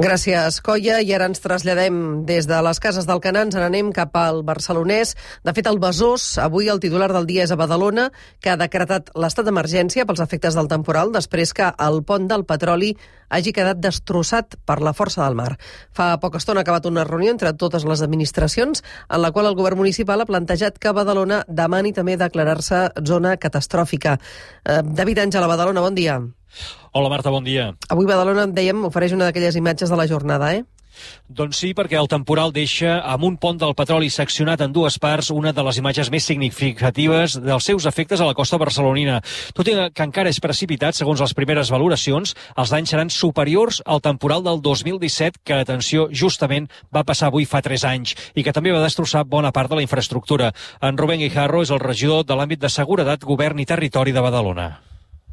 Gràcies, Coia. I ara ens traslladem des de les Cases d'Alcanar, ens n'anem cap al Barcelonès. De fet, al Besòs, avui el titular del dia és a Badalona, que ha decretat l'estat d'emergència pels efectes del temporal després que el pont del Petroli hagi quedat destrossat per la força del mar. Fa poca estona ha acabat una reunió entre totes les administracions en la qual el govern municipal ha plantejat que Badalona demani també declarar-se zona catastròfica. David Àngel, a Badalona, bon dia. Hola Marta, bon dia. Avui Badalona, dèiem, ofereix una d'aquelles imatges de la jornada, Doncs sí, perquè el temporal deixa amb un pont del Petroli seccionat en dues parts una de les imatges més significatives dels seus efectes a la costa barcelonina. Tot i que encara és precipitat, segons les primeres valoracions, els danys seran superiors al temporal del 2017, que, atenció, justament va passar avui fa 3 anys, i que també va destrossar bona part de la infraestructura. En Rubén Guijarro és el regidor de l'àmbit de seguretat, govern i territori de Badalona.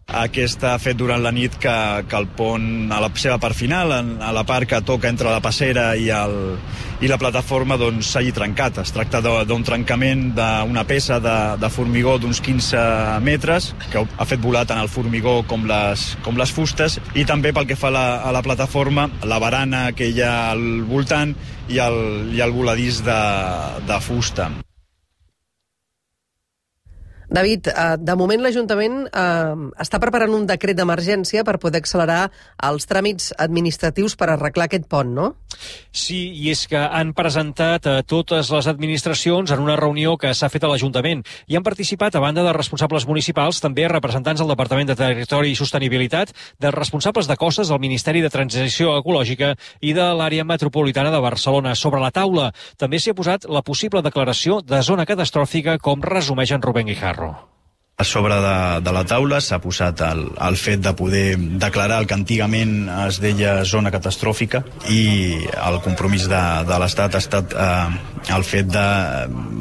Aquesta ha fet durant la nit que el pont, a la seva part final, a la part que toca entre la passera i la plataforma, doncs s'hagi trencat. Es tracta d'un trencament d'una peça de formigó d'uns 15 metres que ha fet volar tant el formigó com les fustes, i també pel que fa a la plataforma, la barana que hi ha al voltant i el voladís de fusta. David, de moment l'Ajuntament està preparant un decret d'emergència per poder accelerar els tràmits administratius per arreglar aquest pont, no? Sí, i és que han presentat a totes les administracions en una reunió que s'ha fet a l'Ajuntament i han participat, a banda de responsables municipals, també representants del Departament de Territori i Sostenibilitat, dels responsables de costes del Ministeri de Transició Ecològica i de l'àrea metropolitana de Barcelona. Sobre la taula també s'hi ha posat la possible declaració de zona catastròfica, com resumeix en Rubén Guijarro. A sobre de la taula s'ha posat el fet de poder declarar el que antigament es deia zona catastròfica, i el compromís de l'Estat ha estat el fet de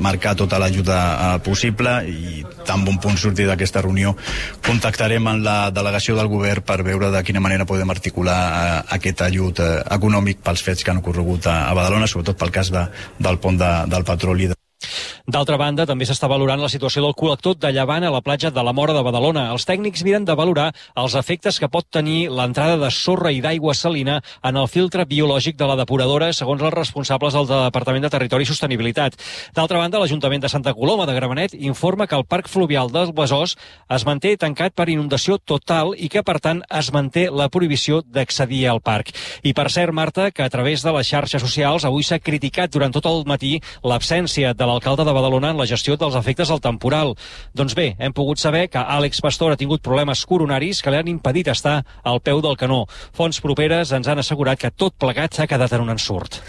marcar tota l'ajuda possible, i tan bon punt sortir d'aquesta reunió contactarem amb la delegació del govern per veure de quina manera podem articular aquest ajut econòmic pels fets que han ocorregut a Badalona, sobretot pel cas del pont del Petroli. D'altra banda, també s'està valorant la situació del col·lector de llevant a la platja de la Móra de Badalona. Els tècnics miren de valorar els efectes que pot tenir l'entrada de sorra i d'aigua salina en el filtre biològic de la depuradora, segons els responsables del Departament de Territori i Sostenibilitat. D'altra banda, l'Ajuntament de Santa Coloma de Gramenet informa que el parc fluvial del Besòs es manté tancat per inundació total i que, per tant, es manté la prohibició d'accedir al parc. I per cert, Marta, que a través de les xarxes socials avui s'ha criticat durant tot el matí l'absència de l'alcalde de Badalona en la gestió dels efectes del temporal. Doncs bé, hem pogut saber que Àlex Pastor ha tingut problemes coronaris que li han impedit estar al peu del canó. Fonts properes ens han assegurat que tot plegat s'ha quedat en un ensurt.